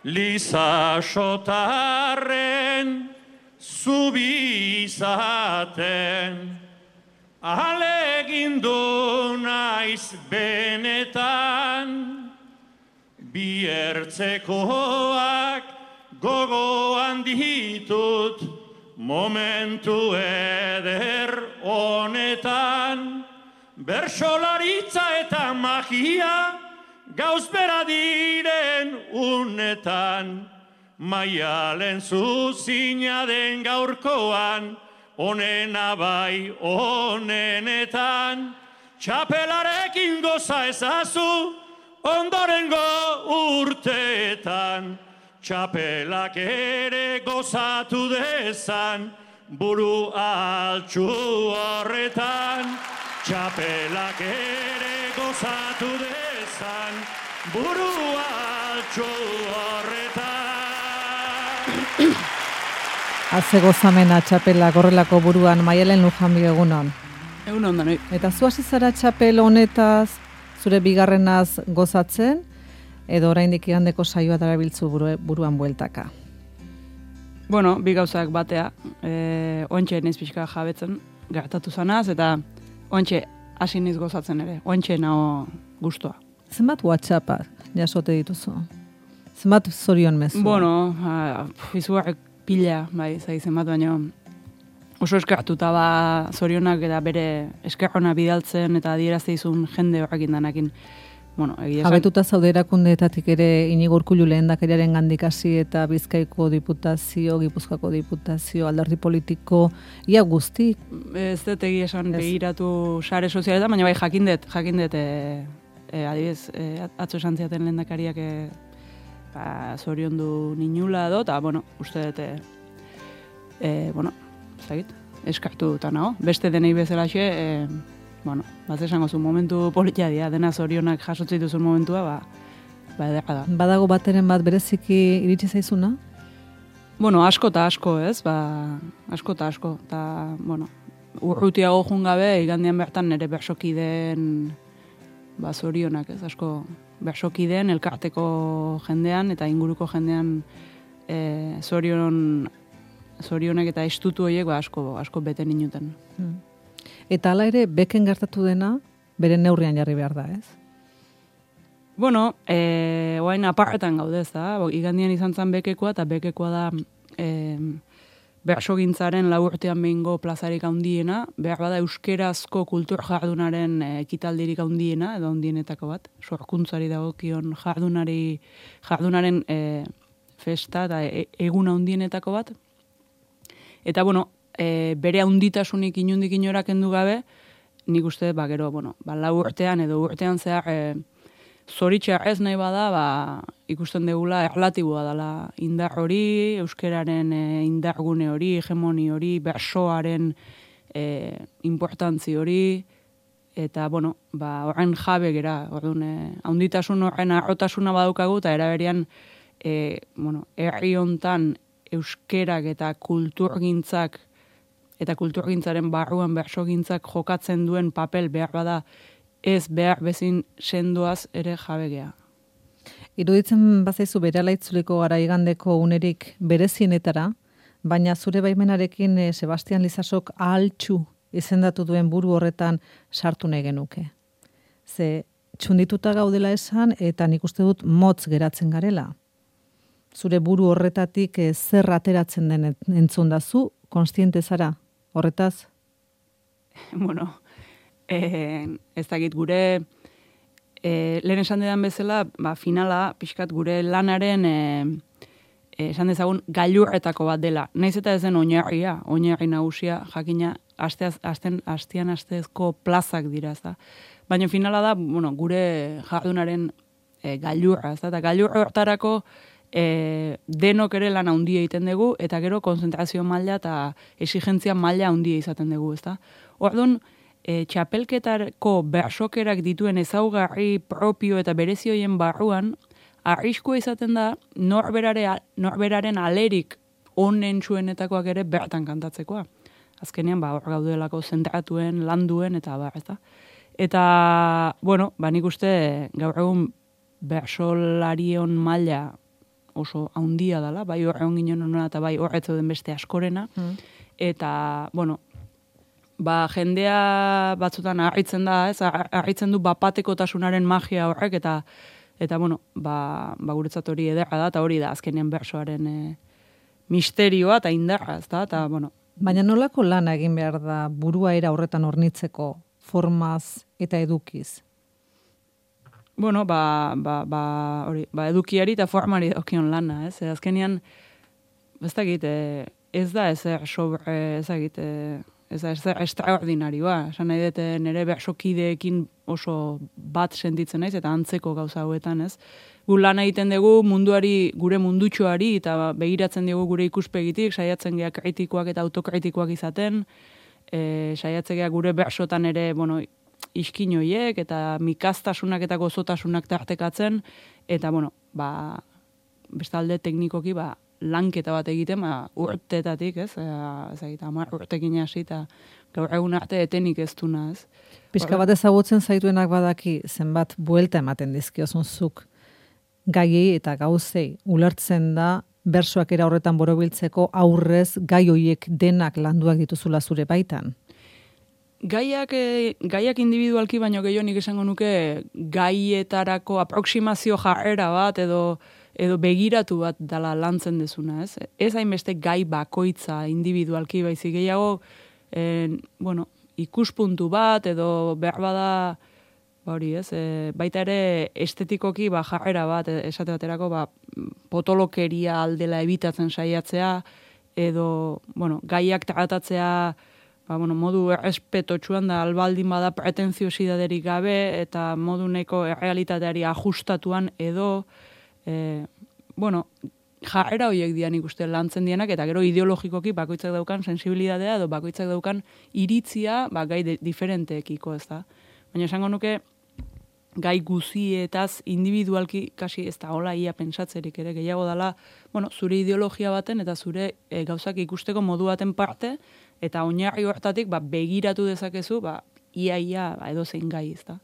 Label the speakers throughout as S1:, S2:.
S1: Liza sotarren zubi izaten, alegindu naiz benetan, biertzekoak gogoan ditut momentu eder honetan, bersolaritza eta magia gauz bera diren unetan, maialen zuzina den gaurkoan, onena bai onenetan, txapelarekin goza ezazu ondorengo urteetan, txapelak ere gozatu dezan buru altxu horretan, txapelak ere gozatu dezan buru altxu horretan.
S2: Haze gozamena txapelak horrelako buruan, Maialen Lujanbio egunon.
S3: Egunon da, noi.
S2: Eta zu hasi zara txapel honetaz, zure bigarrenaz gozatzen, edo oraindik igandeko saioa darabiltzu buruan bueltaka?
S3: Bueno, bi gauzak batea, ontxe naiz pixka jabetzen gertatu zanaz, eta ontxe hasi niz gozatzen ere, ontxe nago gustua.
S2: Zenbat WhatsAppa jasote dituzu? Zenbat zorion mezu?
S3: Bueno, izugarrik pila, bai, zenbat baino, oso eskertuta ba zorionak eta bere eskerrona bidaltzen eta adierazte izun jende horrekin danakin. Bueno,
S2: jabetuta zaude erakundeetatik ere Inigo Urkullu lehendakariaren gandik hasi eta Bizkaiko diputazio, Gipuzkoako diputazio, alderdi politiko, ia guzti?
S3: Ez dut egia esan begiratu sare sozialetan, baina bai jakindet, adibidez, atzo esan ziaten lehendakariak zoriondu ninula edo, eta, bueno, uste dut, bueno, eskartu eta nago. Beste denei bezalaxe, bueno, bat esango zu momentu politia dira, dena zorionak jasotze dituzun momentua, ederra da.
S2: Badago bateren bat bereziki iritsi zaizuna?
S3: Bueno, asko eta asko, ez? Asko eta asko. Eta, bueno, urrutiago jun gabe, igandian bertan nire bersokideen zorionak, ez? Asko bersokideen, elkarteko jendean eta inguruko jendean zorionak eta estutu horiek asko bete ninuten.
S2: Eta hala ere, beken gertatu dena, bere neurrian jarri behar da, ez?
S3: Bueno, oain aparretan gaudez, da. Igandian izan zen bekekoa, eta bekekoa da bersogintzaren laurtean behingo plazarik handiena, behar bada euskerazko kultur jardunaren ekitaldirik handiena, edo handienetako bat, sorkuntzari dagokion jardunaren festa eta egun handienetako bat. Eta, bueno, bere handitasunik inundik inora kendu gabe, nik uste, gero, lau urtean edo urtean zehar zoritxar ez nahi bada, ikusten degula erlatiboa dela indar hori, euskeraren indargune hori, hegemoni hori, bersoaren importantzi hori, eta, bueno, horren jabe gera, handitasun horren arrotasuna badaukagu, eta eraberian, herri hontan euskerak eta kulturgintzak eta kulturgintzaren barruan bersogintzak jokatzen duen papel behar bada ez behar bezin sendoaz ere jabegea.
S2: Iruditzen bazaizu berehala itzuliko gara igandeko unerik berezienetara, baina zure baimenarekin Sebastian Lizasok ahaltxu izendatu duen buru horretan sartu nahi genuke. Ze txundituta gaudela esan eta nik uste dut motz geratzen garela. Zure buru horretatik zer ateratzen den entzun dazu, konstiente zara, horretaz?
S3: Bueno, ez dakit gure, lehen esan dedan bezala, finala, pixkat gure lanaren, esan dezagun, gailurretako bat dela. Naiz eta ez den oinarri nagusia, jakina, asteazko plazak dira, ez da. Baina finala da, gure jardunaren gailurra, ez da, eta gailurra hortarako, denok ere lan handia egiten dugu, eta gero konzentrazio maila eta exigentzia maila handia izaten dugu, ezta? Orduan, txapelketako bersokerak dituen ezaugarri propio eta berezioien barruan, arriskua izaten da norberaren alerik onen zuenetakoak ere bertan kantatzekoa. Azkenean, hor gaudelako zentratuen, landuen, eta ezta? Eta, nik uste gaur egun bersolarion maila oso haundia dela, bai horreon ginen honena eta bai horretzo den beste askorena. Eta, bueno, jendea batzutan harritzen da, ez? Harritzen du bapatekotasunaren magia horrek, eta bueno, guretzat hori ederra da, eta hori da azkenean bersoaren misterioa eta indarra, ez da, eta bueno.
S2: Baina nolako lana egin behar da burua era horretan hornitzeko formaz eta edukiz?
S3: Bueno, hori, edukiari eta formari okion lana, ez? Azkenean, ez dakit, ez da ezer sobre, ez dakit, ez da ezer extraordinarioa. Esan nahi dut nire bersokideekin oso bat sentitzen naiz, eta antzeko gauza hauetan, ez? Gu lan egiten dugu munduari, gure mundutxoari, eta begiratzen dugu gure ikuspegitik, saiatzen gea kritikoak eta autokritikoak izaten, saiatzen gea gure bersotan ere, bueno, iskin hoiek, eta mikastasunak eta gozotasunak tartekatzen, eta, bueno, bestalde teknikoki, lanketa bat egiten, urtetatik, ez? Amar urtekin hasi, eta gaur egun arte etenik ez duna, ez?
S2: Pixka bat ezagutzen zaituenak badaki, zenbat buelta ematen dizkiozun zuk gaiei eta gauzei ulertzen da bersoak era horretan borobiltzeko aurrez gai hoiek denak landuak dituzula zure baitan.
S3: Gaiak individualki baino gehiago nik esango nuke gaietarako aproksimazio jarrera bat edo begiratu bat dela lantzen dezuna, ez? Ez hainbeste gai bakoitza individualki baizik gehiago, bueno, ikuspuntu bat edo behar bada hori, ez? Baita ere estetikoki jarrera bat, esate baterako potolokeria aldela ebitatzen saiatzea edo, bueno, gaiak tratatzea modu errespetotsuan da albaldin bada pretenziosidaderik gabe eta modu neko errealitateari ajustatuan edo bueno, jarrera horiek dian ikuste lantzen dienak eta gero ideologikoki bakoitzak daukan sensibilidadea edo bakoitzak daukan iritzia gai diferenteekiko, ez da. Baina esango nuke gai guzietaz individualki kasi ez da hola ia pentsatzerik ere gehiago dela, bueno, zure ideologia baten eta zure gauzak ikusteko modu baten parte eta oinarri hortatik begiratu dezakezu ia edo zein gai, ez da.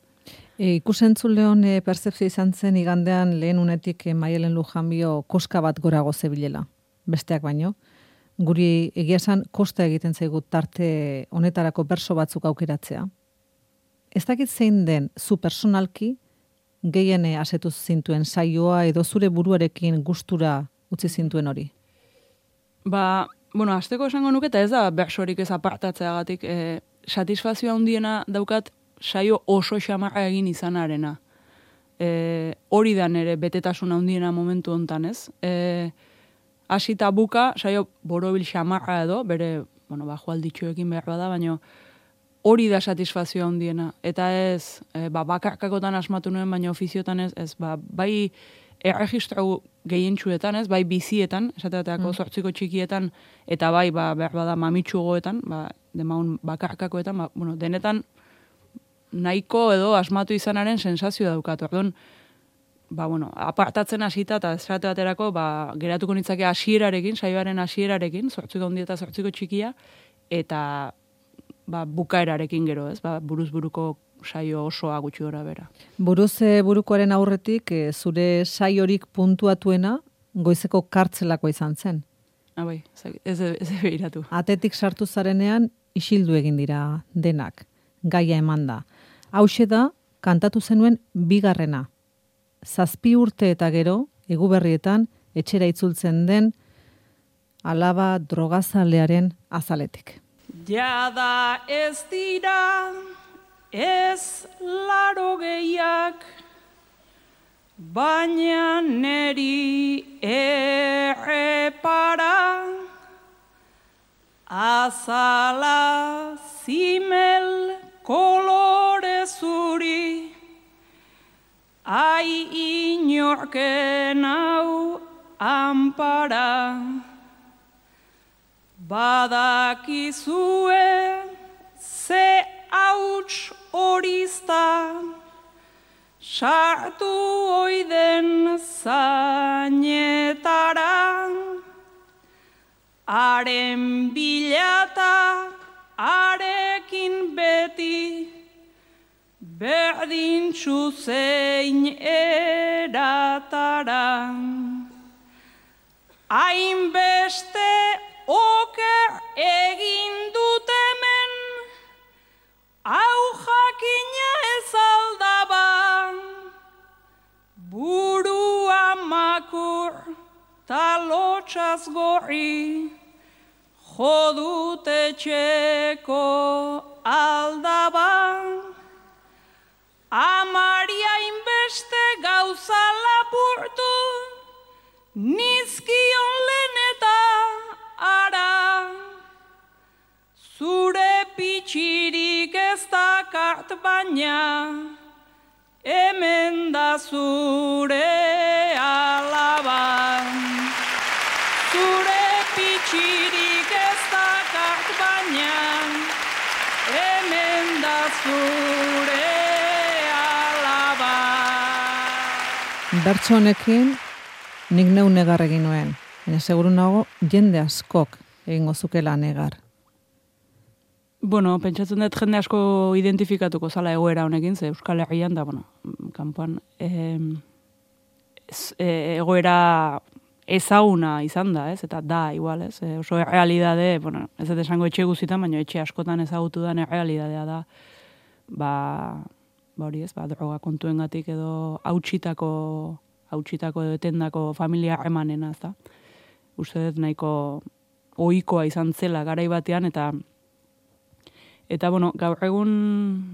S2: Ikusentzuleon percepzio izan zen igandean lehen unetik Maialen Lujanbio koska bat gorago zebilela, besteak baino. Guri egia esan kosta egiten zaigu tarte honetarako berso batzuk aukeratzea. Ez dakit zein den zu personalki gehien asetu zintuen saioa edo zure buruarekin gustura utzi zintuen hori?
S3: Bueno, hasteko esango nuke eta ez da bersorik ez apartatzeagatik, satisfazioa handiena daukat saio oso xamarra egin izanarena. Hori da nere betetasuna handiena momentu hontan, ez? Hasita buka, saio borobil xamarra edo, bere, bueno, joalditxoekin behar bada, baina hori da satisfazioa handiena. Eta ez, bakarkakotan asmatu nuen, baina ofiziotan ez, bai erregistro gehientsuetan, ez, bai bizietan, esateateako zortziko txikietan, eta bai, behar bada mamitsugoetan, demaun bakarkakoetan, bueno, denetan nahiko edo asmatu izanaren sensazio daukatu. Orduan, bueno, apartatzen hasita eta esate baterako, geratuko nitzake hasierarekin, saioaren hasierarekin, zortziko handia eta zortziko txikia, eta bukaerarekin gero, ez? Buruz buruko saio osoa gutxi gora bera.
S2: Buruz burukoaren aurretik, zure saiorik puntuatuena goizeko kartzelako izan zen.
S3: Bai, ez behiratu.
S2: Atetik sartu zarenean, isildu egin dira denak, gaia eman da. Hauxe da, kantatu zenuen bigarrena. 7 urte eta gero, Eguberrietan, etxera itzultzen den, alaba drogazalearen azaletik.
S3: Jada ez dira, ez 80, baina neri errepara, azala zimel kolore zuri, ai inorken hau ampara. Badakizue ze hauts horizta, sartu oiden zainetara, haren bilata arekin beti, berdintxu zein eratara.
S4: hainbeste oker egin dut hemen, hau jakina ez aldaba, burua makur ta lotxaz gorri, jodut etxeko aldaba. Amaria inbeste gauza lapurtu, nizkion lehen eta ara. Zure pitxirik ez dakart baina, hemen da zure alaba. Zure pitxirik ez dakart baina, hemen da zure alaba.
S2: Bertso honekin nik neu negar egin nuen. Baina seguru nago jende askok egingo zukela negar.
S3: Bueno, pentsatzen dut jende asko identifikatuko zala egoera honekin, ze Euskal Herrian da, kanpoan egoera ezaguna izan da, ez? Eta da, igual, ez? Oso errealidade, ez dut esango etxe guzitan, baina etxe askotan ezagutu den errealidadea da, hori ez, droga kontuengatik edo hautsitako edo etendako familia emanena, ez da? Uste dut nahiko ohikoa izan zela garai batean, eta gaur egun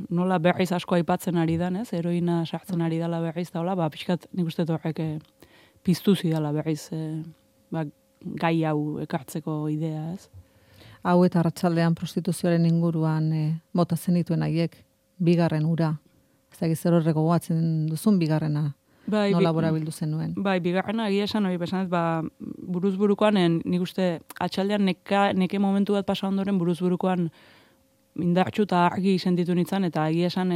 S3: nola berriz asko aipatzen ari dan, ez? Heroina sartzen ari dela berriz da, hola, pixkat nik uste horrek piztu zidala berriz gai hau ekartzeko idea, ez?
S2: Hau eta arratsaldean prostituzioaren inguruan bota zenituen haiek, bigarren ura. Ez da gizero gogoatzen duzun bigarrena. Nola borabildu zenuen?
S3: Bai, bigarrena egia esan hori, besan ez, buruzburukoan, nik uste atxaldean neke momentu bat pasa ondoren buruzburukoan indartxu eta argi sentitu nintzen, eta egia esan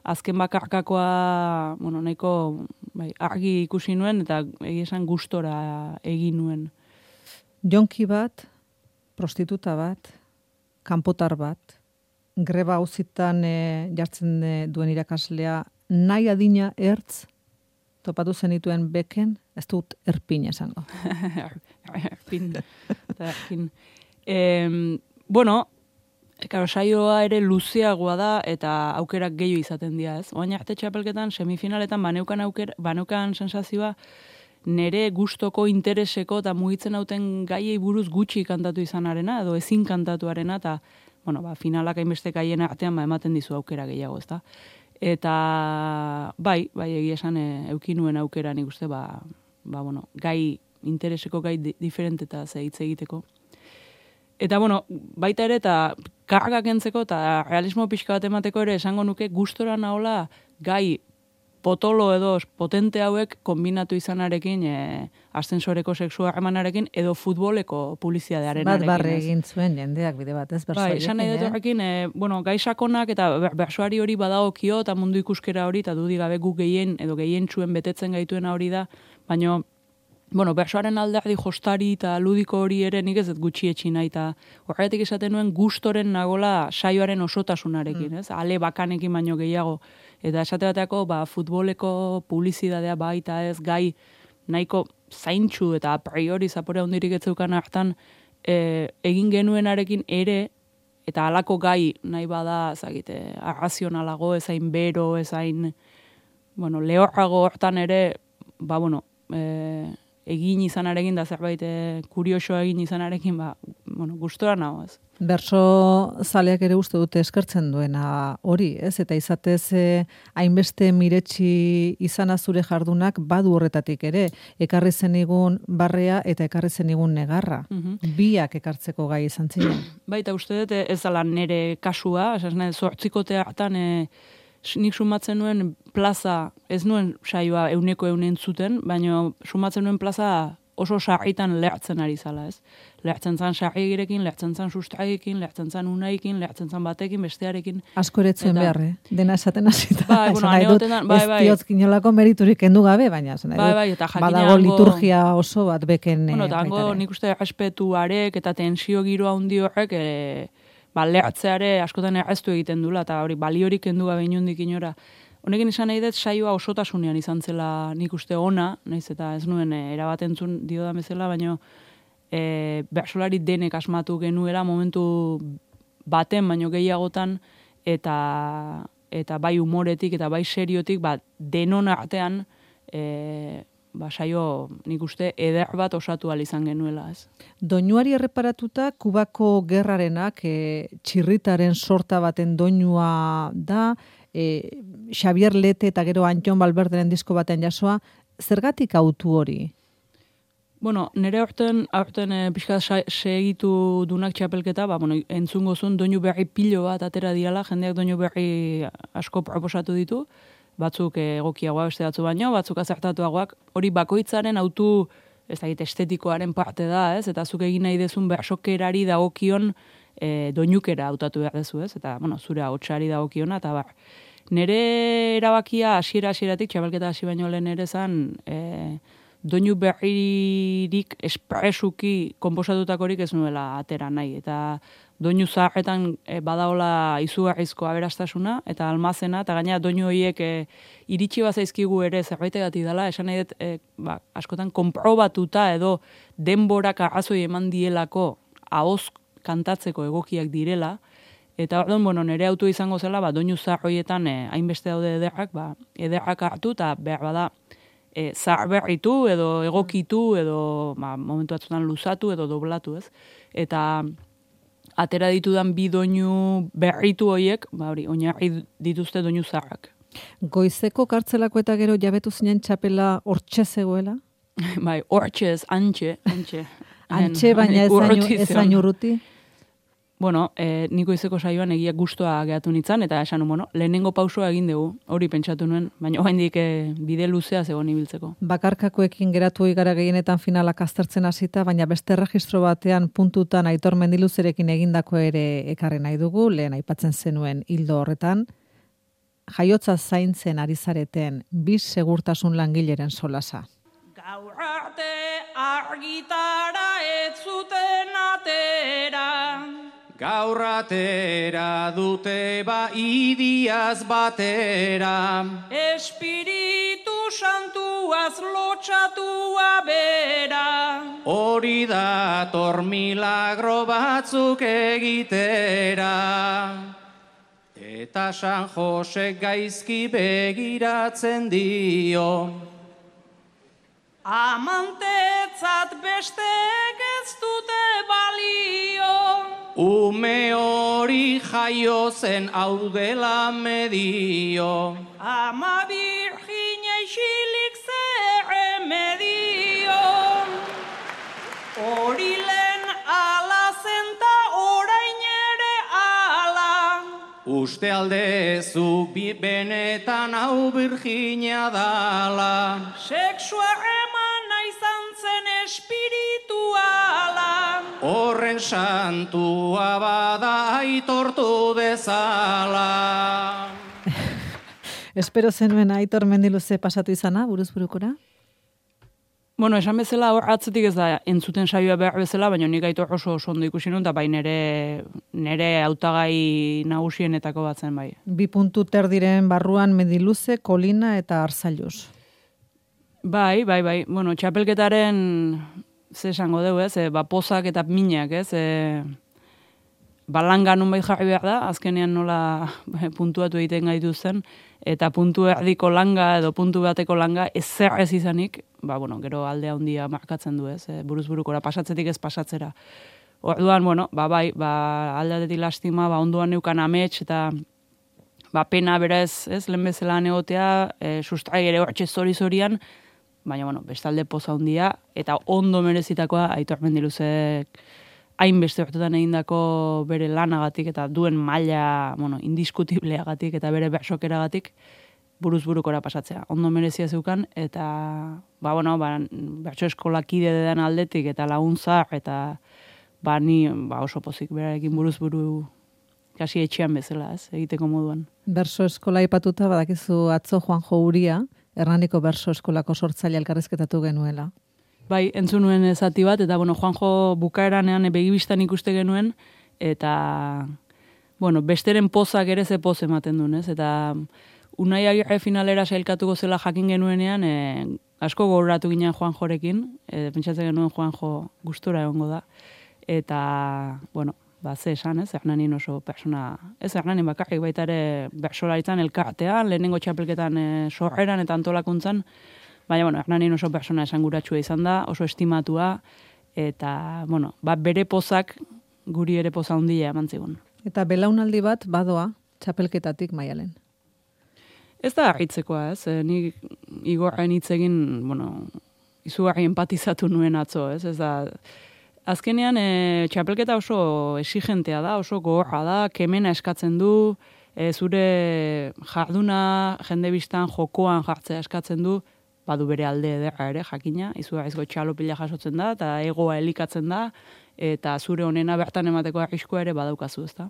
S3: azken bakarkakoa, nahiko argi ikusi nuen, eta egia esan gustora egin nuen.
S2: Jonki bat, prostituta bat, kanpotar bat, greba hauzitan jartzen duen irakaslea, nahi adina ertz, topatu zenituen beken, ez dut erpin esango.
S3: Erpin. Saioa ere luzeagoa da eta aukerak gehiago izaten dira, ez? Oain arte txapelketan, semifinaletan baneukan sensazioa nere gustoko intereseko eta mugitzen hauten gaiei buruz gutxi kantatu izanarena, edo ezin kantatuarena, eta finalak hainbeste gaien artean ematen dizu aukera gehiago, ezta? Eta bai egia esan euki nuen aukera nik uste, gai intereseko gai diferente eta hitz egiteko. Eta baita ere eta kargak entzeko eta realismo pixka bat emateko ere esango nuke gustora nahola gai potolo edo potente hauek kombinatu izanarekin ascensoreko seksua harremanarekin edo futboleko publizitatearenarekin.
S2: Bat barre egin zuen jendeak bide bat, ez?
S3: Bai, esan nahi dut horrekin, gai sakonak eta bersoari hori badagokio eta mundu ikuskera hori eta dudik gabe guk gehien txuen betetzen gaituena hori da, baina bersoaren alderdi jostari eta ludiko hori ere nik ez dut gutxi etxi nahi, eta horretik esaten nuen gustoren nagola saioaren osotasunarekin, ez? Ale bakanekin baino gehiago. Eta esate bateako, futboleko publizitatea baita ez, gai nahiko zaintxu eta a priori zapore handirik etzeukan hartan egin genuenarekin ere, eta halako gai nahi bada, zagite, arrazionalago, ezain bero, ezain, lehorrago hortan ere, egin izanarekin da zerbait kuriosoa egin izanarekin, gustora nago ez.
S2: Berso zaleak ere uste dute eskertzen duena hori, ez? Eta izatez hainbeste miretsi izana zure jardunak badu horretatik ere. Ekarri zenigun barrea eta ekarri zenigun negarra. Biak ekartzeko gai izan ziren.
S3: Baita uste dut ez dela nere kasua, zortzikote hartan nik sumatzen nuen plaza, ez nuen saioa euneko zuten, baina sumatzen nuen plaza oso sarritan lehertzen ari zala, ez? Lehertzen zan sarriegirekin, lehertzen zan sustraiekin, lehertzen zan unaikin, lehertzen zan batekin, bestearekin.
S2: Asko eretzuen beharre, dena esaten hasita.
S3: Bai,
S2: ez diot inolako meriturik kendu gabe, baina badago liturgia oso bat beken.
S3: Eta hango nik uste respetuarek eta tensio giroa handi horrek, lehertzeare askotan erreztu egiten dula, eta hori baliorik kendu gabe inondik inora. Honekin esan nahi dut saioa osotasunean izan zela nik uste ona, naiz eta ez nuen erabat entzun dio da bezala, baina bertsolari denek asmatu genuela momentu baten, baino gehiagotan, eta bai humoretik eta bai seriotik, denon artean, saio nik uste eder bat osatu ahal izan genuela, ez.
S2: Doinuari erreparatuta, Kubako gerrarenak txirritaren sorta baten doinua da, Xavier Lete eta gero Antxon Balberderen disko batean jasoa, zergatik autu hori?
S3: Bueno, nire aurten pixka segitu dunak txapelketa, entzungo zuen doinu berri pilo bat atera dirala, jendeak doinu berri asko proposatu ditu, batzuk egokiagoa beste batzu baino, batzuk azertatuagoak, hori bakoitzaren autu, ez dakit, estetikoaren parte da, ez? Eta zuk egin nahi dezun bersokerari dagokion doinukera hautatu behar dezu, ez? Eta, zure ahotsari dagokiona, eta bar. Nire erabakia hasieratik txapelketa hasi baino lehen ere zan, doinu berririk espresuki konposatutakorik ez nuela atera nahi. Eta doinu zaharretan badaola izugarrizko aberastasuna eta almazena, eta gaina doinu horiek iritsi bazaizkigu ere zerbaitegatik dela, esan nahi dut askotan konprobatuta edo denborak arrazoi eman dielako ahoz kantatzeko egokiak direla, eta orduan, nire autu izango zela, doinu zahar horietan hainbeste daude ederrak, ederrak hartu eta behar bada zahar berritu edo egokitu edo momentu batzutan luzatu edo doblatu, ez? Eta atera ditudan bi doinu berritu horiek, oinarri dituzte doinu zaharrak.
S2: Goizeko kartzelako eta gero jabetu zinen txapela hortxe zegoela?
S3: Bai, hortxe ez, antxe.
S2: Antxe, baina ezain urruti?
S3: Bueno, niko izeko saioan egia gustua gehatu nintzen, eta esan, lehenengo pausua egin dugu, hori pentsatu nuen, baina oraindik bide luzea zegoen ibiltzeko.
S2: Bakarkakoekin geratu gara gehienetan finalak aztertzen hasita, baina beste erregistro batean puntutan Aitor Mendiluzerekin egindako ere ekarri nahi dugu, lehen aipatzen zenuen hildo horretan, jaiotza zaintzen ari zareten, biz segurtasun langileren solasa.
S4: Gaur arte argitara ez zuten atera.
S5: Gaur atera dute idiaz batera.
S4: Espiritu santuaz lotxatua bera.
S5: Hori dator milagro batzuk egitera. Eta San Jose gaizki begiratzen dio.
S4: Amantetzat bestek ez dute balio.
S5: Ume hori jaio zen hau dela medio.
S4: Ama Virginia isilik zer remedio. Hori lehen ala zenta orain ere ala.
S5: Uste aldezu benetan hau Virginia dala.
S4: Sexua emana izan zen espirituala.
S5: Horren santua bada aitortu dezala.
S2: Espero zenuen Aitor Mendiluze pasatu izana, buruzburukora?
S3: Bueno, esan bezala hor atzetik ez da entzuten saioa behar bezala, baina nik Aitor oso ondo ikusi nun, eta bai nere hautagai nagusienetako batzen bai.
S2: 2 puntu terdiren barruan Mendiluze, Kolina eta Arzailuz.
S3: Bai. Bueno, txapelketaren ze esango dugu, ez? Pozak eta minak, ez? Langa nunbait jarri behar da, azkenean nola puntuatu egiten gaitu zen, eta puntu erdiko langa edo puntu bateko langa ezer ez izanik, gero aldea handia markatzen du, ez? Buruzburukora pasatzetik ez pasatzera. Orduan, bai, aldatetik lastima, ondoan neukan amets, eta pena berez, ez? Lehen bezala egotea, sustrai ere hortxe zori-zorian, baina, bestalde poza handia, eta ondo merezitakoa Aitor Mendiluzek hainbeste urtetan egindako bere lanagatik eta duen maila, indiskutibleagatik eta bere bersokeragatik buruzburukora pasatzea. Ondo merezia zeukan, eta, bertso eskolakide den aldetik eta laguntzar, eta ni oso pozik berarekin buruzburu kasi etxean bezala, ez, egiteko moduan.
S2: Berso eskola ipatuta, badakizu atzo Juanjo Uria, Hernaniko berso eskolako sortzaile elkarrizketatu genuela.
S3: Bai, entzun nuen zati bat, eta Juanjo bukaeranean begibistan ikuste genuen, eta besteren pozak ere ze poz ematen duen, ez? Eta Unai Agirre finalera sailkatuko zela jakin genuenean, asko gogoratu ginen Juanjorekin, pentsatzen genuen Juanjo gustura egongo da. Eta, bueno, ze esan, ez, Hernanin oso persona, ez Hernanin bakarrik baita ere bersolaritzan elkartean, lehenengo txapelketan sorreran eta antolakuntzan, baina, bueno, Hernanin oso persona esanguratsua izan da, oso estimatua, eta, bueno, bere pozak guri ere poza handia eman zigun.
S2: Eta belaunaldi bat badoa txapelketatik Maialen.
S3: Ez da harritzekoa, ez? Nik Igorren hitz egin, bueno, izugarri empatizatu nuen atzo, ez? Ez da, azkenean txapelketa oso exigentea da, oso gogorra da, kemena eskatzen du, zure jarduna jende biztan jokoan jartzea eskatzen du, badu bere alde ederra ere, jakina, izugarrizko txalopila jasotzen da, eta egoa elikatzen da, eta zure honena bertan emateko arriskua ere badaukazu, ezta?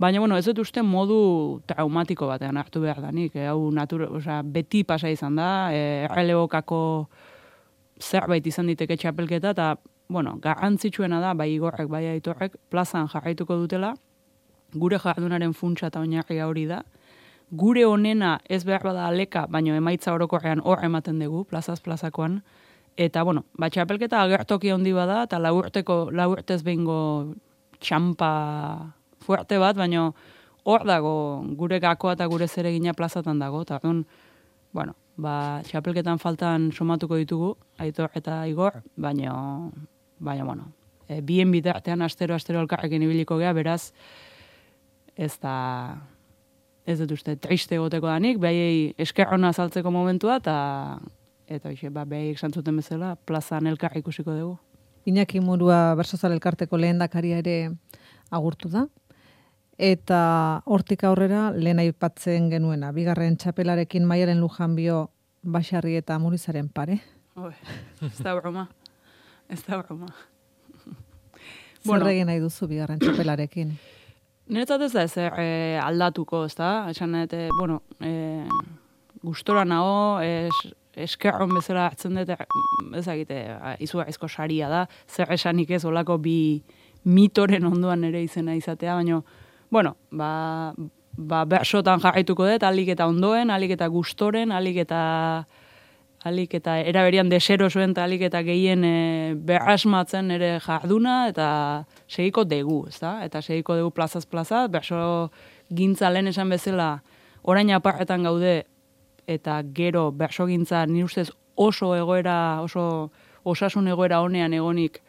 S3: Baina, bueno, ez dut uste modu traumatiko batean hartu behar danik. Hau beti pasa izan da, errelebokako zerbait izan diteke txapelketa, eta, bueno, garrantzitsuena da, bai Igorrek, bai Aitorrek, plazan jarraituko dutela, gure jardunaren funtsa eta oinarria hori da, gure honena ez behar bada aleka, baina emaitza orokorrean hor ematen dugu, plazakoan, eta, bueno, txapelketa agertoki handi bada, eta lau urtez behingo txampa fuerte bat, baina hor dago gure gakoa eta gure zeregina plazatan dago, eta bueno, txapelketan faltan somatuko ditugu, Aitor eta Igor, baina, bueno, bien bitartean astero elkarrekin ibiliko gea, beraz, ez dut uste, triste egoteko danik, behaiei eskerrona azaltzeko momentua, eta behaiek santzuten bezala, plazan elkar ikusiko dugu.
S2: Iñaki Murua Bersozal elkarteko lehendakaria ere agurtu da, eta hortik aurrera lehen aipatzen genuena, bigarren txapelarekin Maialen Lujanbio Baxarri eta Murizaren pare.
S3: Ez da broma.
S2: Zer egin nahi duzu bigarren txapelarekin?
S3: Niretzat ez da ezer aldatuko, ez da? Esan bueno, gustora nago, eskerron bezala hartzen dut, ezagite, izugarrizko saria da, zer esanik ez olako bi mitoren ondoan ere izena izatea, baina, bueno, bersotan jarraituko dut, alik eta ondoen, alik eta gustoren, alik eta eraberian desero zuen, eta alik eta gehien berrasmatzen ere jarduna, eta segiko dugu, ezta? Eta segiko dugu plazaz plaza, berso gintza lehen esan bezala, orain aparretan gaude, eta gero berso gintza nire ustez oso osasun egoera honean egonik,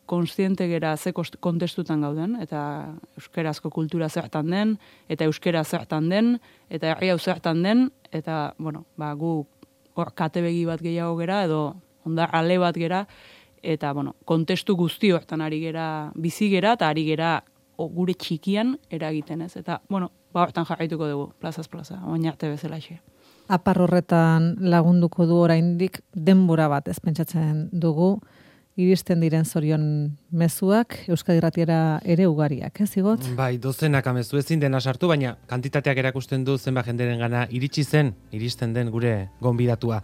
S3: konstiente gera ze kontestutan gauden, eta euskerazko kultura zertan den, eta euskera zertan den, eta herri hau zertan den, eta, gu hor katebegi bat gehiago gera, edo ondar ale bat gera, eta, kontestu guzti hortan ari gera, bizi gera, eta ari gera gure txikian eragiten ez. Eta, hortan jarraituko dugu, plazaz plaza, oin arte bezala xe.
S2: Apar horretan lagunduko du oraindik denbora bat ez pentsatzen dugu, iristen diren zorion mezuak, Euskadi Irratiera ere ugariak, ez Igot?
S6: Bai, dozenaka mezu ezin dena sartu, baina kantitateak erakusten du zenbat jenderen gana iristen den gure gonbidatua.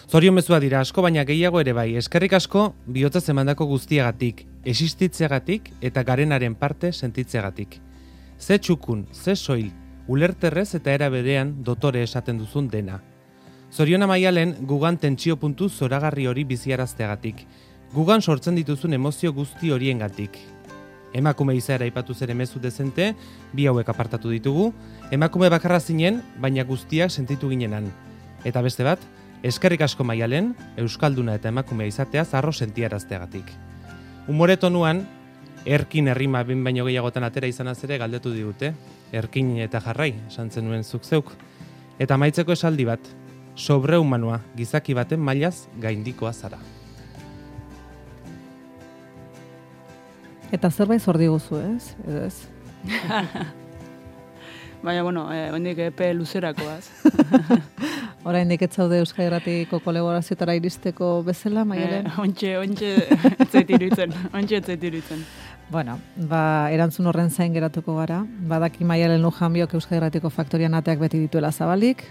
S6: Zorion mezua dira asko, baina gehiago ere bai, eskerrik asko bihotzaz emandako guztiagatik, existitzeagatik eta garenaren parte sentitzeagatik. Ze txukun, ze soil, ulerterrez eta era berean dotore esaten duzun dena. Zoriona Maialen gugan tentsio puntu zoragarri hori biziarazteagatik. Gugan sortzen dituzun emozio guzti horiengatik. Emakume izaera aipatu zere mezu dezente, bi hauek apartatu ditugu, emakume bakarra zinen, baina guztiak sentitu ginenan. Eta beste bat, eskerrik asko Maialen, euskalduna eta emakumea izatea zarro sentiarazteagatik. Umore tonuan, erkin errima bin baino gehiagotan atera izanaz ere galdetu digute, erkin eta jarrai, esantzen nuen zuk zeuk. Eta amaitzeko esaldi bat, sobrehumanoa, gizaki baten mailaz gaindikoa zara.
S2: Eta zerbait zor diguzu, ez? Edo ez?
S3: Baina, hendik epe luzerakoaz.
S2: Oraindik ez zaude Euskadi Irratiko kolaborazioetara iristeko bezala, Maialen?
S3: Ontxe etzait iruditzen.
S2: Bueno, erantzun horren zain geratuko gara. Badaki Maialen Lujanbiok Euskadi Irratiko faktorian ateak beti dituela zabalik.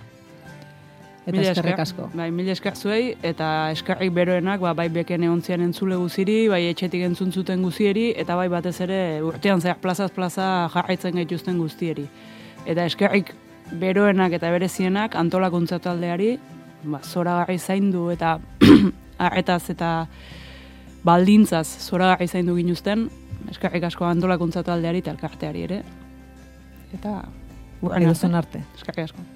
S2: Eta eskerrik asko.
S3: Bai, mila esker zuei, eta eskerrik beroenak, bai beken egontzian entzule guziri, bai etxetik entzuntzuten guzieri, eta bai batez ere urtean zehar plazaz plaza jarraitzen gaituzten guztieri. Eta eskerrik beroenak eta berezienak antolakuntza taldeari, zoragarri zaindu eta arretaz eta baldintzaz zoragarri zaindu ginuzten, eskerrik asko antolakuntza taldeari eta elkarteari ere. Eta
S2: Edozen arte.
S3: Eskerrik asko.